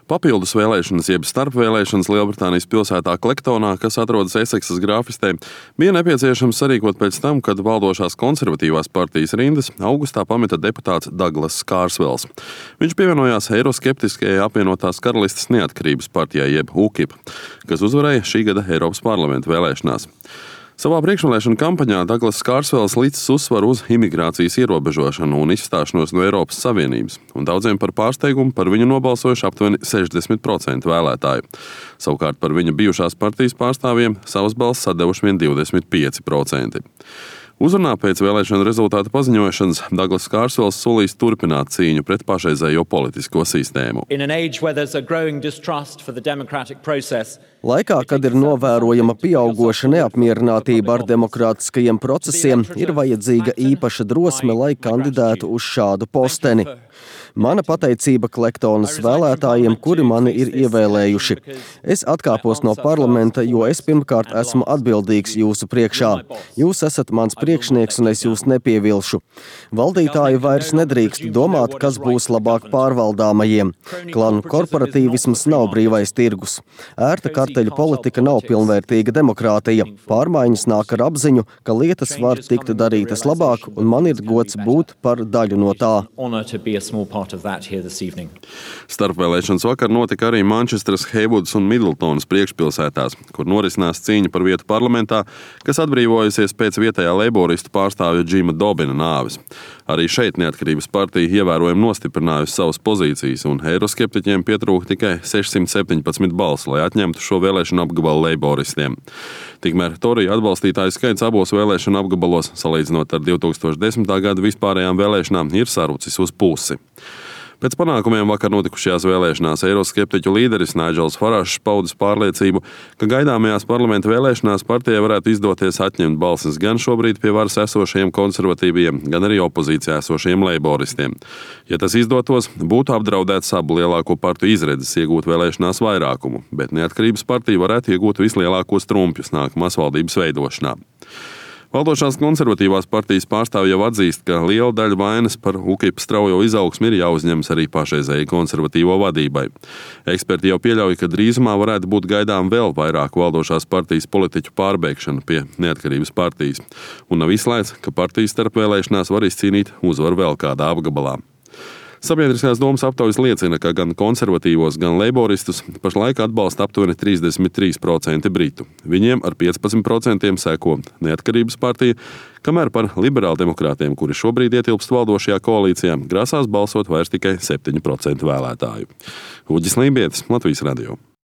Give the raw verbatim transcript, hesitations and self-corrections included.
Papildus vēlēšanas, jeb starpvēlēšanas Lielbritānijas pilsētā Klektonā, kas atrodas Eseksas grāfistē, bija nepieciešams sarīkot pēc tam, kad valdošās konservatīvās partijas rindas augustā pameta deputāts Daglass Kārsvels. Viņš pievienojās eiroskeptiskajai apvienotās karalistes neatkarības partijai, jeb U K I P, kas uzvarēja šī gada Eiropas parlamenta vēlēšanās. Savā priekšvēlēšana kampaņā Daglass Kārsvels licis uzsvaru uz imigrācijas ierobežošanu un izstāšanos no Eiropas Savienības, un daudziem par pārsteigumu par viņu nobalsojuši aptuveni sešdesmit procenti vēlētāju. Savukārt par viņa bijušās partijas pārstāvjiem savas balss sadevuši vien divdesmit pieci procenti. Uzrunā pēc vēlēšanu rezultātu paziņošanas Daglass Kārsvels solīs turpināt cīņu pret pašreizējo politisko sistēmu. Laikā, kad ir novērojama pieaugoša neapmierinātība ar demokrātiskajiem procesiem, ir vajadzīga īpaša drosme, lai kandidētu uz šādu posteni. Mana pateicība Klektonas vēlētājiem, kuri mani ir ievēlējuši. Es atkāpos no parlamenta, jo es pirmkārt esmu atbildīgs jūsu priekšā. Jūs esat mans priekšnieks un es jūs nepievilšu. Valdītāji vairs nedrīkst domāt, kas būs labāk pārvaldāmajiem. Klanu korporatīvisms nav brīvais tirgus. Ērta karteļu politika nav pilnvērtīga demokrātija. Pārmaiņas nāk ar apziņu, ka lietas var tikt darītas labāk, un man ir gods būt par daļu no tā. Starpvēlēšanas vakar notika arī Mančestras, Heivudas un Midltonas priekšpilsētās, kur norisinās cīņa par vietu parlamentā, kas atbrīvojusies pēc vietējā leiboristu pārstāvja Džima Dobina nāves. Arī šeit neatkarības partija ievērojami nostiprinājusi savas pozīcijas, un eiroskeptiķiem pietrūka tikai sešsimt septiņpadsmit balsu, lai atņemtu šo vēlēšanu apgabalu leiboristiem. Tikmēr Toriju atbalstītāju skaits abos vēlēšanu apgabalos, salīdzinot ar divtūkstoš desmitā gada vispārējām vēlēšanām, ir sarucis uz pusi. Pēc panākumiem vakar notikušajās vēlēšanās eiroskeptiķu līderis Naidžels Farāžs paudis pārliecību, ka gaidāmajās parlamenta vēlēšanās partijai varētu izdoties atņemt balsis gan šobrīd pie varas esošajiem konservatīviem, gan arī opozīcijā esošajiem leiboristiem. Ja tas izdotos, būtu apdraudēts abu lielāko partiju izredzes iegūt vēlēšanās vairākumu, bet neatkarības partija varētu iegūt vislielākos trumpjus nākamās valdības veidošanā. Valdošās konservatīvās partijas pārstāvji jau atzīst, ka liela daļa vainas par U K I P straujo izaugsmi ir jāuzņemas arī pašreizējai konservatīvo vadībai. Eksperti jau pieļauj, ka drīzumā varētu būt gaidām vēl vairāk valdošās partijas politiķu pārbēgšana pie neatkarības partijas, un nav izslēgts, ka partijas starpvēlēšanās var izcīnīt uzvaru vēl kādā apgabalā. Sabiedriskās domas aptaujas liecina, ka gan konservatīvos, gan leiboristus pašlaik atbalsta aptuveni trīsdesmit trīs procenti britu. Viņiem ar piecpadsmit procentiem seko neatkarības partija, kamēr par liberāldemokrātiem, kuri šobrīd ietilpst valdošajā koalīcijā, grasās balsot vairs tikai septiņi procenti vēlētāju. Uģis Lībietis, Latvijas radio.